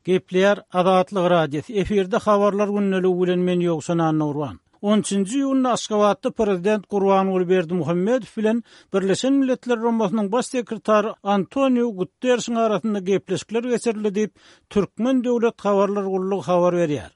Gepleýär Azatlyk Radiosy, efirde Habarlar gündeligi bilen men Ýowşan Annagurban. On üçünji iýunda Aşgabatda prezident Gurbanguly Berdimuhamedow bilen Birleşen Milletler Guramasynyň Baş sekretary Antoniu Gutterşiň arasynda gepleşikler geçirildi diýip, Türkmen döwlet habarlar gullugy habar berýär.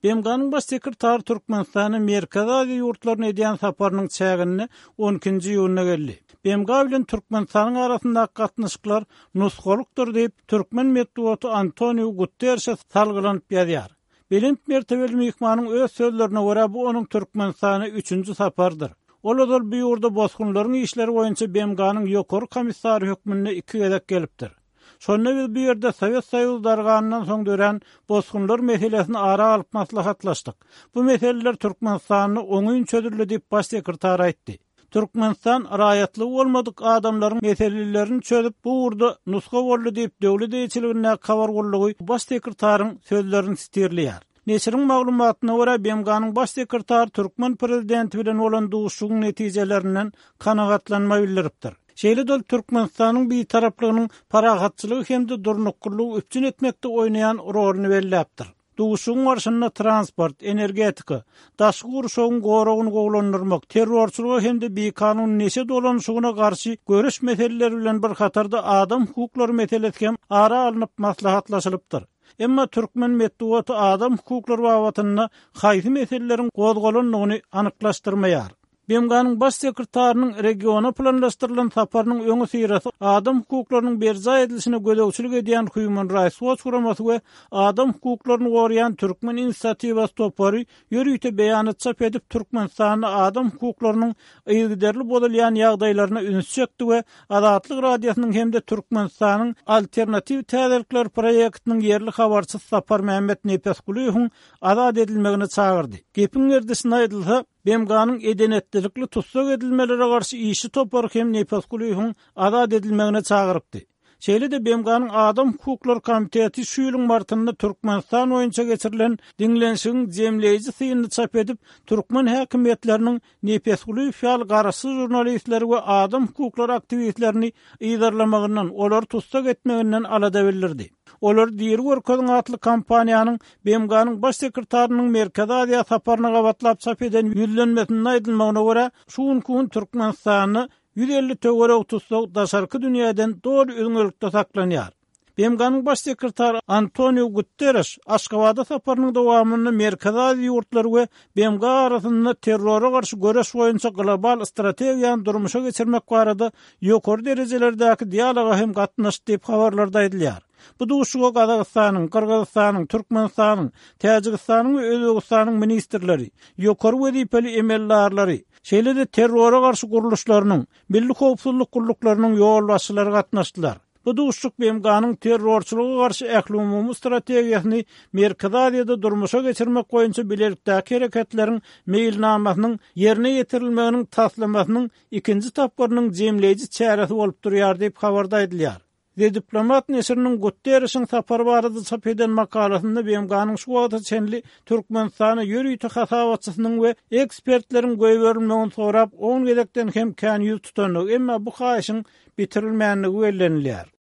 BMG-niň Baş sekretary Türkmenistana Merkezi Aziýa ýurtlaryna edýän saparynyň çäginde on ikinji iýunda geldi. BMG bilen Türkmenistanyň arasyndaky gatnaşyklar nusgalykdyr diýip, türkmen metbugaty Antoniu Gutterşe salgylanyp ýazýar. Belent mertebeli myhmanyň öz sözlerine görä, bu onuň Türkmenistana üçünji saparydyr. Ol ozal bu ýurda bosgunlaryň işleri boýunça BMG-niň Ýokary komissary hökmünde iki gezek gelipdir. Şonda biz bu ýerde Sowet Soýuzy darganyndan soň dörän bosgunlar meselesini ara alyp maslahatlaşdyk. Bu meseleler Türkmenistanda oňyn çözüldi diýip, baş sekretar aýtdy. Türkmenistan raýatlygy bolmadyk adamlaryň meselelerini çözüp, bu ugurda nusga boldy diýip, döwlet eýeçiligindäki habar gullugy baş sekretaryň sözlerini sitirleýär. Neşiriň maglumatyna görä, BMG-niň Baş sekretary türkmen prezidenti bilen bolan duşuşygyň netijelerinden kanagatlanma bildiripdir. Şeýle-de ol Türkmenistanyň bitaraplygynyň parahatçylygy hem-de durnuklylygy üpjün etmekde oýnaýan roluny belläpdir. Duşuşygyň barşynda transport, energetika, daşky gurşawyň goragyny gowulandyrmak, terrorçylyga hem-de bikanun neşe dolanyşygyna garşy göreş meseleleri bilen bir hatarda adam hukuklary meselesi hem ara alnyp maslahatlaşylypdyr. Emma türkmen metbugaty adam hukuklary babatynda haýsy meseleleriň gozgalandygyny anyklaşdyrmaýar. BMG-niň Baş sekretarynyň regiona planlaşdyrylan saparynyň öňüsyrasy adam hukuklarynyň berjaý edilişine gözegçilik edýän Human Rights Watch guramasy we adam hukuklaryny goraýan Türkmen inisiatiwasy topary ýörite beýanat çap edip, Türkmenistanda adam hukuklarynyň yzygiderli bozulýan ýagdaýlaryna üns çekdi we Azatlyk Radiosynyň hem-de Türkmenistanyň Alternatiw täzelikler proýektiniň ýerli habarçysy Saparmämmet Nepesgulyýewiň azat edilmegine çagyrdy. Gepiň gerdişine aýdylsa, BMG-niň eden-etdilikli tussag edilmelere garşy işçi topary hem Nepesgulyýewiň azat edilmegine çagyrypdy. Şeýle-de BMG-niň Adam hukuklary komiteti şu ýylyň martynda Türkmenistan boýunça geçirilen diňlenişigiň jemleýji synyny çap edip, türkmen häkimiýetleriniň Nepesgulyýew ýaly garaşsyz žurnalistleri we adam hukuklary aktiwistlerini yzarlamagyndan, olary tussag etmeginden alada bildirdi. Olary diri görkeziň atly kampaniýanyň BMG-niň Baş sekretarynyň Merkezi Aziýa saparyna gabatlap çap eden ýüzlenmesinde aýdylmagyna görä, şu günki gün Türkmenistanda 150 töweregi tussag daşarky dünýäden doly üzňelikde saklanýar. BMG-niň Baş sekretary Antoniu Guttereş Aşgabada saparynyň dowamynda Merkezi Aziýa ýurtlary we BMG arasynda terrora garşy göreş boýunça global strategiýany durmuşa geçirmek barada ýokary derejelerdäki dialoga hem gatnaşdy diýip, habarlarda aýdylýar. Bu duşuşyga Gazagystanyň, Gyrgyzystanyň, Türkmenistanyň, Täjigistanyň we Özbegistanyň ministrleri, ýokary wezipeli emeldarlary, şeýle-de terrora garşy gurluşlarynyň, milli howpsuzlyk gulluklarynyň ýolbaşçylary gatnaşdylar. Bu duşuşyk BMG-niň terrorçylyga garşy ählumumy strategiýasyny Merkezi Aziýada durmuşa geçirmek boýunça bilelikdäki hereketleriň meýilnamasynyň ýerine ýetirilmeginiň taslamasynyň ikinji tapgyrynyň jemleýji çäresi bolup durýar diýip, habarda aýdylýar. The Diplomat neşiriniň Gutterişiň sapary barada çap eden makalasynda BMG-niň şu wagta çenli Türkmenistana ýörite hasabatçysynyň we ekspertleriň goýberilmegini sorap on gezekden hem kän ýüz tutandygy, emma bu haýyşyň bitirilmändigi bellenilýär.